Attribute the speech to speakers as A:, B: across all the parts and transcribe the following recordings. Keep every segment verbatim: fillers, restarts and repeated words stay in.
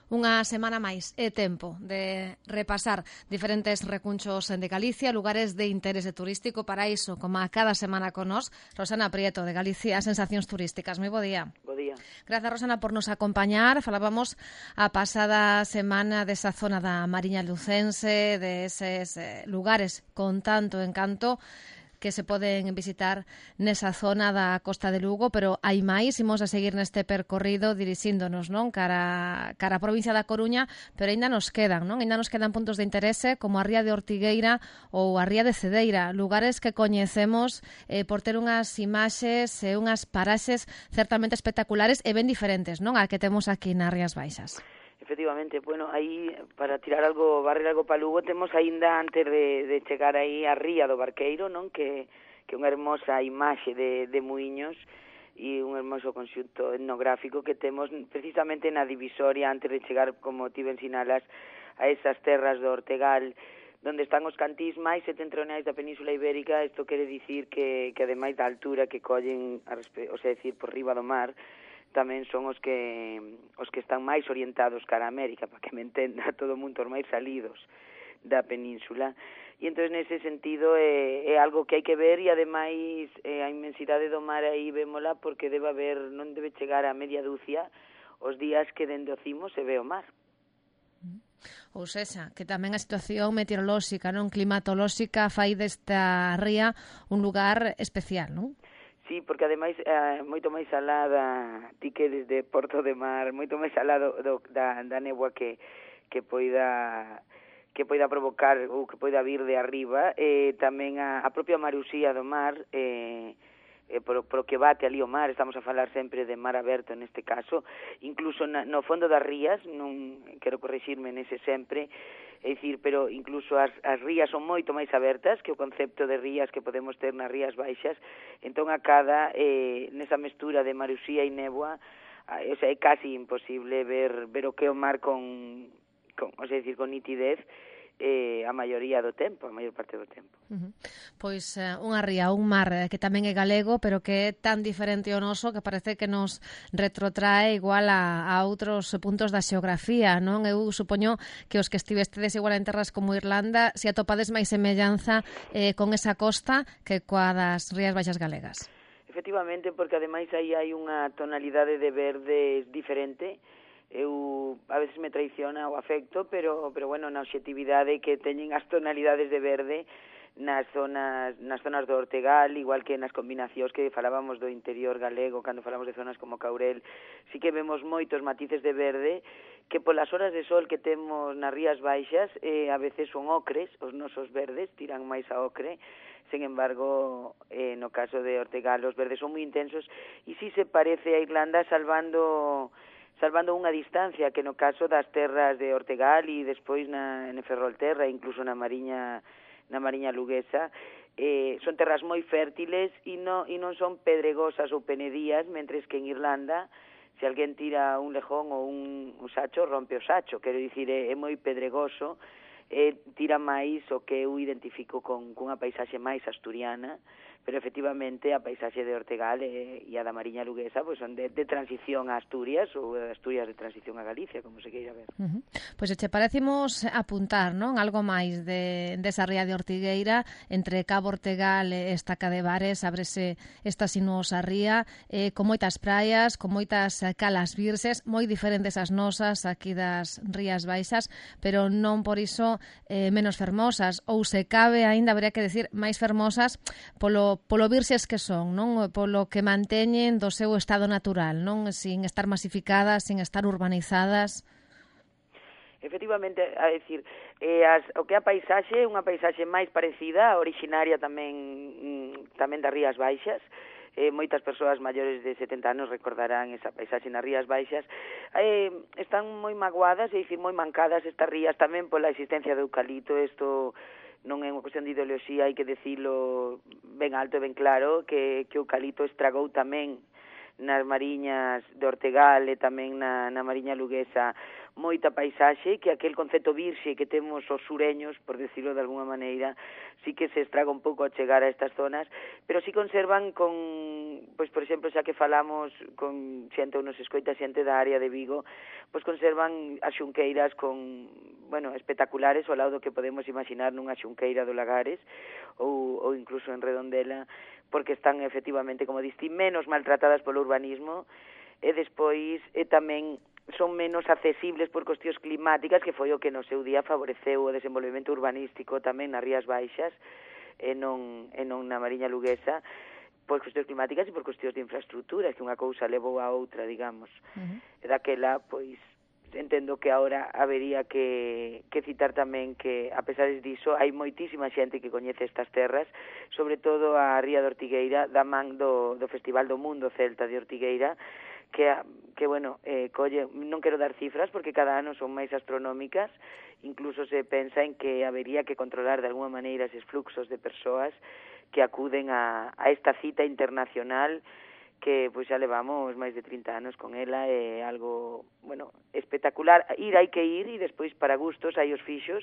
A: Unha semana máis é tempo de repasar diferentes recunchos de Galicia, lugares de interese turístico. Para iso, como a cada semana con nós, Rosana Prieto, de Galicia Sensacións Turísticas. Moi bo día.
B: Bo día.
A: Grazas, Rosana, por nos acompañar. Falábamos a pasada semana desa zona da Mariña Lucense, de eses eh, lugares con tanto encanto que se poden visitar nesa zona da Costa de Lugo, pero hai máis, imos a seguir neste percorrido dirixíndonos, non, cara cara a provincia da Coruña, pero aínda nos quedan, non? Aínda nos quedan puntos de interese como a Ría de Ortigueira ou a Ría de Cedeira, lugares que coñecemos eh, por ter unhas imaxes e unhas paraxes certamente espectaculares e ben diferentes, non, a que temos aquí nas Rías Baixas.
B: Efectivamente, bueno, aí, para tirar algo, barrer algo para Lugo, temos aínda, antes de, de chegar aí a Ría do Barqueiro, non, que que unha hermosa imaxe de, de muiños e un hermoso conxunto etnográfico que temos precisamente na divisoria, antes de chegar, como ti ben sinalas, a esas terras do Ortegal, donde están os cantís máis setentrionais da Península Ibérica. Isto quere dicir que, que ademais da altura que collen, a respe- o sea, decir, por riba do mar, tamén son os que os que están máis orientados cara a América, para que me entenda todo o mundo, os máis salidos da península. E entón, nese sentido, é, é algo que hai que ver, e ademais é, a inmensidade do mar aí vémola, porque debe haber, non debe chegar a media dúcia os días que dende o cimo se ve o mar.
A: Ou sexa, que tamén a situación meteorolóxica, non, climatolóxica, fai desta ría un lugar especial, non?
B: Sí, porque ademais é moito máis alada, ti que desde Porto de Mar, moito máis alado do, da, da néboa que, que poida que poida provocar ou que poida vir de arriba, e tamén a, a propia marusía do mar, eh, eh, por, por que bate ali o mar. Estamos a falar sempre de mar aberto neste caso, incluso na, no fondo das rías, non quero corrixirme nese sempre, é dicir, pero incluso as, as rías son moito máis abertas que o concepto de rías que podemos ter nas Rías Baixas. Entón, a cada, eh, nesa mestura de marusía e néboa, eh, o sea, é casi imposible ver ver o que é o mar con, con o sea, decir, con nitidez, eh, a maioría do tempo, a maior parte do tempo.
A: Uh-huh. Pois uh, unha ría, un mar que tamén é galego, pero que é tan diferente ao noso que parece que nos retrotrae igual a, a outros puntos da xeografía, non? Eu supoño que os que estivestedes igual en terras como Irlanda, se atopades máis semellanza eh, con esa costa que coa das Rías Baixas galegas.
B: Efectivamente, porque ademais aí hai unha tonalidade de verde diferente. Eu a veces me traiciona o afecto, pero pero bueno, na obxectividade que teñen as tonalidades de verde nas zonas nas zonas do Ortegal, igual que nas combinacións que falábamos do interior galego, cando falamos de zonas como Caurel, sí que vemos moitos matices de verde que polas horas de sol que temos nas Rías Baixas, eh, a veces son ocres, os nosos verdes tiran máis a ocre. Sen embargo, eh, no caso de Ortegal, os verdes son moi intensos e sí se parece a Irlanda, salvando salvando unha distancia, que no caso das terras de Ortegal e despois na, en Ferrolterra, incluso na Mariña na Mariña Luguesa, eh, son terras moi fértiles e, no, e non son pedregosas ou penedías, mentres que en Irlanda, se alguén tira un lejón ou un, un sacho, rompe o sacho, quero dicir, é, é moi pedregoso, eh, tira máis o que eu identifico con, con unha paisaxe máis asturiana, pero efectivamente a paisaxe de Ortegal e, e a da Mariña Luguesa pois son de, de transición a Asturias, ou de Asturias de transición a Galicia, como se queira ver.
A: Uh-huh. Pois che parecemos apuntar, non, algo máis de desa ría de Ortigueira, entre Cabo Ortegal e Estaca de Bares, ábrese esta sinuosa ría, eh, con moitas praias, con moitas calas virses, moi diferentes as nosas aquí das Rías Baixas, pero non por iso eh, menos fermosas, ou se cabe, aínda habría que decir, máis fermosas polo polo virxes que son, non? Polo que manteñen do seu estado natural, non? Sin estar masificadas, sin estar urbanizadas.
B: Efectivamente, a decir, eh, as, o que é a paisaxe, unha paisaxe máis parecida, originaria tamén mm, tamén das Rías Baixas. Eh, moitas persoas maiores de setenta anos recordarán esa paisaxe nas Rías Baixas. Eh, están moi magoadas, é dicir, moi mancadas estas rías tamén pola existencia do eucalipto. Isto non é unha cuestión de ideoloxía, hai que decirlo ben alto e ben claro, que, que o eucalipto estragou tamén nas mariñas de Ortegal e tamén na, na Mariña Luguesa moita paisaxe, que aquel concepto virxe que temos os sureños, por decirlo de alguna maneira, sí que se estraga un pouco a chegar a estas zonas, pero sí conservan con, pois por exemplo, xa que falamos con xente ou nos escoita xente da área de Vigo, pois conservan as xunqueiras con, bueno, espectaculares ao lado do que podemos imaginar nunha xunqueira do Lagares ou, ou incluso en Redondela, porque están efectivamente, como diste, menos maltratadas polo urbanismo, e despois e tamén son menos accesibles por cuestións climáticas, que foi o que no seu día favoreceu o desenvolvemento urbanístico tamén nas Rías Baixas e non, e non na Mariña Luguesa, por cuestións climáticas e por cuestións de infraestructuras, que unha cousa levou a outra, digamos. Uh-huh. E daquela, pois, entendo que agora habería que, que citar tamén que, a pesar diso, hai moitísima xente que coñece estas terras, sobre todo a Ría de Ortigueira, da man do, do Festival do Mundo Celta de Ortigueira, que, que bueno, eh, colle, non quero dar cifras porque cada ano son máis astronómicas, incluso se pensa en que habería que controlar de alguma maneira eses fluxos de persoas que acuden a, a esta cita internacional que pois xa levamos máis de trinta anos con ela, é algo, bueno, espectacular. Ir hai que ir e despois para gustos hai os fixos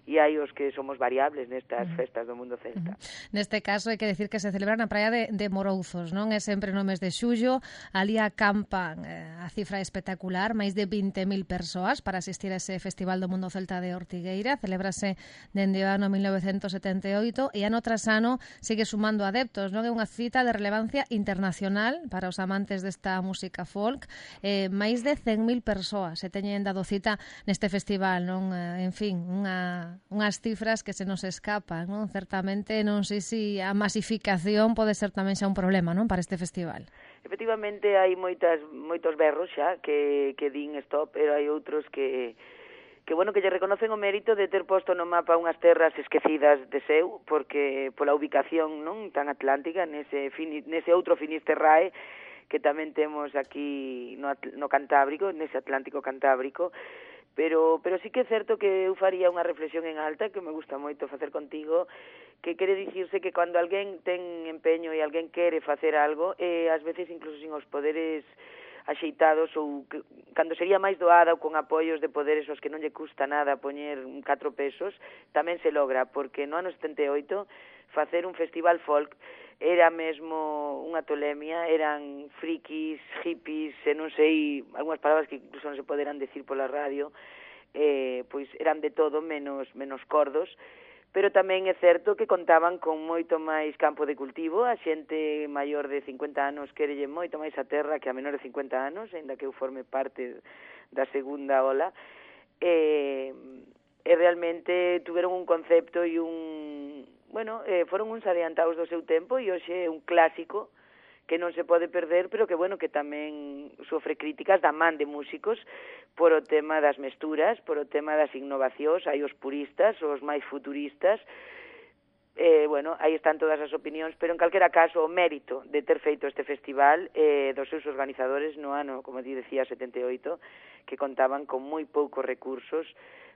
B: e hai os que somos variables nestas uh-huh. festas do mundo celta.
A: Uh-huh. Neste caso hai que decir que se celebra na praia de, de Morouzos, non? É sempre no mes de xullo, ali acampan eh, a cifra espectacular, máis de vinte mil persoas para asistir a ese Festival do Mundo Celta de Ortigueira. Celébrase dende o ano mil novecentos setenta e oito e ano tras ano sigue sumando adeptos, non? É unha cita de relevancia internacional para os amantes desta música folk. Eh, máis de cen mil persoas se teñen dado cita neste festival, non? Eh, en fin, unha unhas cifras que se nos escapan, non? Certamente non sei se a masificación pode ser tamén xa un problema, non, para este festival.
B: Efectivamente hai moitas moitos berros xa que que din stop, pero hai outros que que bueno, que lle reconocen o mérito de ter posto no mapa unhas terras esquecidas de seu, porque pola ubicación, non, tan atlántica nese fini, nese outro Finisterrae que tamén temos aquí no, no Cantábrico, nese Atlántico Cantábrico. Pero, pero sí que é certo que eu faría unha reflexión en alta que me gusta moito facer contigo, que quere dicirse que cando alguén ten empeño e alguén quere facer algo, e ás veces incluso sin os poderes axeitados ou que, cando sería máis doada ou con apoios de poderes aos que non lle custa nada poñer catro pesos, tamén se logra, porque no ano setenta e oito facer un festival folk era mesmo unha tolemia, eran frikis, hippies, e non sei, algunhas palabras que incluso non se poderán decir pola radio, eh, pois eran de todo menos menos cordos, pero tamén é certo que contaban con moito máis campo de cultivo, a xente maior de cincuenta anos querelle moito máis a terra que a menor de cincuenta anos, ainda que eu forme parte da segunda ola, e, e realmente tuveron un concepto e un... bueno, eh, foron uns adiantados do seu tempo e hoxe é un clásico que non se pode perder, pero que, bueno, que tamén sofre críticas da man de músicos por o tema das mesturas, por o tema das innovacións, hai os puristas, os máis futuristas, eh, bueno, aí están todas as opinións, pero en calquera caso o mérito de ter feito este festival eh, dos seus organizadores no ano, como ti decía, setenta e oito, que contaban con moi poucos recursos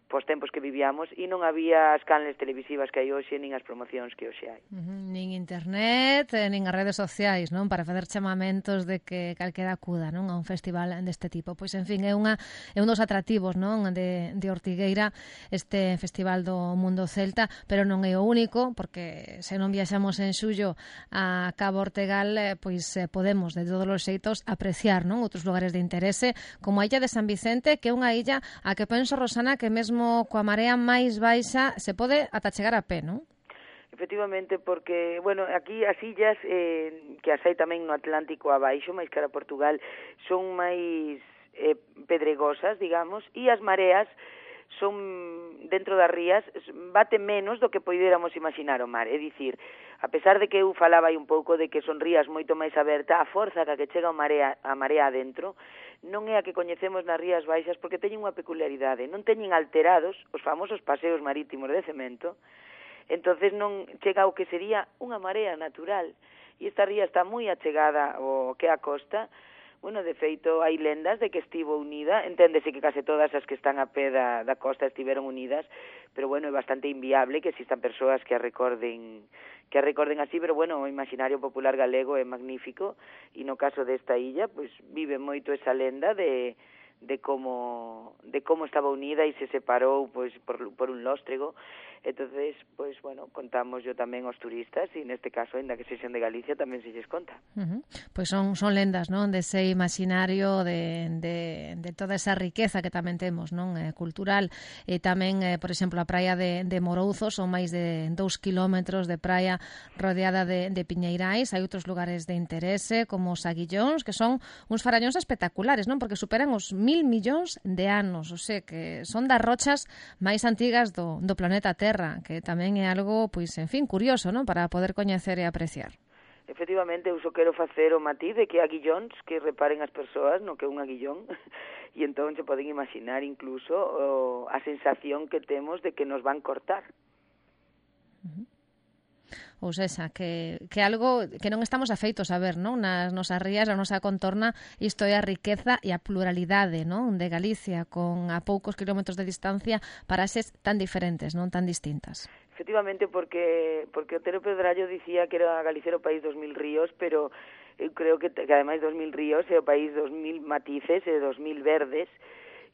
B: pos tempos que vivíamos e non había as canles televisivas que hai hoxe nin as promocións que hoxe hai.
A: Uh-huh. Nin internet, eh, nin as redes sociais, non, para facer chamamentos de que calquera acuda, non, a un festival deste tipo. Pois, en fin, é unha é un dos atractivos, non, de, de Ortigueira, este Festival do Mundo Celta, pero non é o único, porque se non viaxamos en xullo a Cabo Ortegal, eh, pois eh, podemos, de todos os xeitos, apreciar, non, outros lugares de interese, como a illa de San Vicente, que é unha illa a que penso, Rosana, que mesmo coa marea máis baixa se pode ata chegar a pé, non?
B: Efectivamente, porque, bueno, aquí as illas eh, que as hai tamén no Atlántico abaixo, máis cara a Portugal, son máis eh, pedregosas, digamos, e as mareas son dentro das rías, bate menos do que poidéramos imaginar o mar, é dicir, a pesar de que eu falaba aí un pouco de que son rías moito máis aberta, a forza que chega a marea, a marea adentro non é a que coñecemos nas rías baixas porque teñen unha peculiaridade, non teñen alterados os famosos paseos marítimos de cemento, entonces non chega ao que sería unha marea natural, e esta ría está moi achegada ao que é a costa. Bueno, de feito, hai lendas de que estivo unida, enténdese que case todas as que están a pé da, da costa estiveron unidas, pero bueno, é bastante inviable que existan persoas que a recorden que a recorden así, pero bueno, o imaginario popular galego é magnífico, e no caso desta illa, pois vive moito esa lenda de, de como de como estaba unida e se separou pois por, por un lóstrego. Entonces, pois, bueno, contamos yo tamén aos turistas e neste caso, ainda que sexan de Galicia, tamén se lles conta.
A: Uh-huh. Pois son, son lendas, non? Dese imaginario de, de, de toda esa riqueza que tamén temos, non? Eh, cultural. E tamén, eh, por exemplo, a praia de, de Morouzos, son máis de dous kilómetros de praia rodeada de, de piñeirais. Hai outros lugares de interese, como os Aguillóns, que son uns farañóns espectaculares, non? Porque superan os mil millóns de anos, o sea, que son das rochas máis antigas do, do planeta Terra, que tamén é algo, pois, en fin, curioso, non? Para poder coñecer e apreciar.
B: Efectivamente, eu só quero facer o matiz de que aguillóns, que reparen as persoas no que é un aguillón, e entón se poden imaginar incluso o, a sensación que temos de que nos van cortar.
A: Uh-huh. Ou seja, que, que algo que non estamos afeitos a ver, non? Nas nosas rías, a nosa contorna, isto é a riqueza e a pluralidade, non? De Galicia, con a poucos kilómetros de distancia, paraxes tan diferentes, non? Tan distintas.
B: Efectivamente, porque porque Otero Pedrallo dicía que era Galicia o país dos mil ríos, pero eu creo que, que ademais dos mil ríos é o país dos mil matices e dos mil verdes,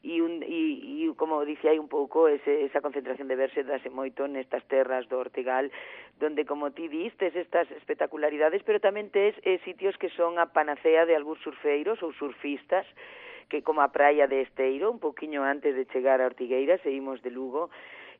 B: e, un, e, e como dicía aí un pouco, ese, esa concentración de verse dase moito nestas terras do Ortegal, donde, como ti distes, estas espectacularidades, pero tamén tes eh, sitios que son a panacea de algúns surfeiros ou surfistas, que como a praia de Esteiro, un pouquiño antes de chegar a Ortigueira, seguimos de Lugo,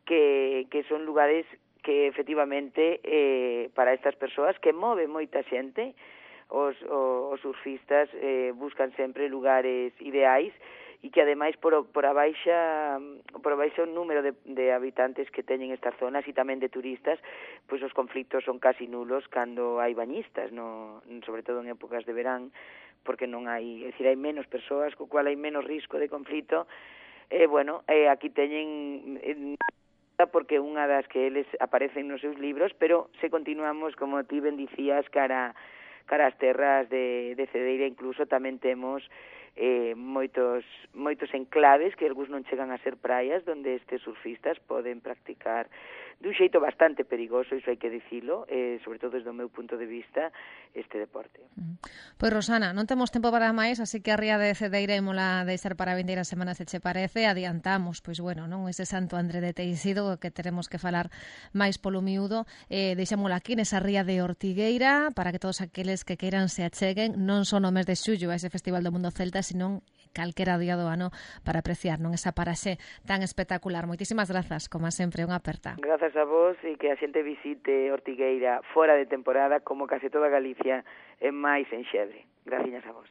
B: que, que son lugares que efectivamente eh, para estas persoas que move moita xente, os, os, os surfistas eh, buscan sempre lugares ideais e que ademais por, por a baixa por a baixa número de, de habitantes que teñen estas zonas e tamén de turistas, pois os conflitos son casi nulos cando hai bañistas, no, sobre todo en épocas de verán, porque non hai, é dicir, hai menos persoas, co cual hai menos risco de conflito. E, eh, bueno, eh, aquí teñen eh, porque unha das que eles aparecen nos seus libros, pero se continuamos, como ti ben dicías, cara, cara as terras de, de Cedeira, incluso tamén temos eh, moitos moitos enclaves que algúns non chegan a ser praias, donde estes surfistas poden practicar dun xeito bastante perigoso, iso hai que dicilo, eh, sobre todo desde o meu punto de vista, este deporte.
A: Pois, Rosana, non temos tempo para máis, así que a ría de Cedeira ímola deixar para a vindeira semana, se che parece. Adiantamos, pois, bueno, non ese Santo André de Teixido, que teremos que falar máis polo miúdo. Eh, deixámola aquí nesa ría de Ortigueira, para que todos aqueles que queiran se acheguen, non só no mes de xullo a ese Festival do Mundo Celta, senón calquera día do ano para apreciar, non, esa paraxe tan espectacular. Moitísimas grazas, como sempre, unha aperta.
B: Grazas a vos e que a xente visite Ortigueira fora de temporada, como case toda Galicia, e máis en xebre. Gracias a vos.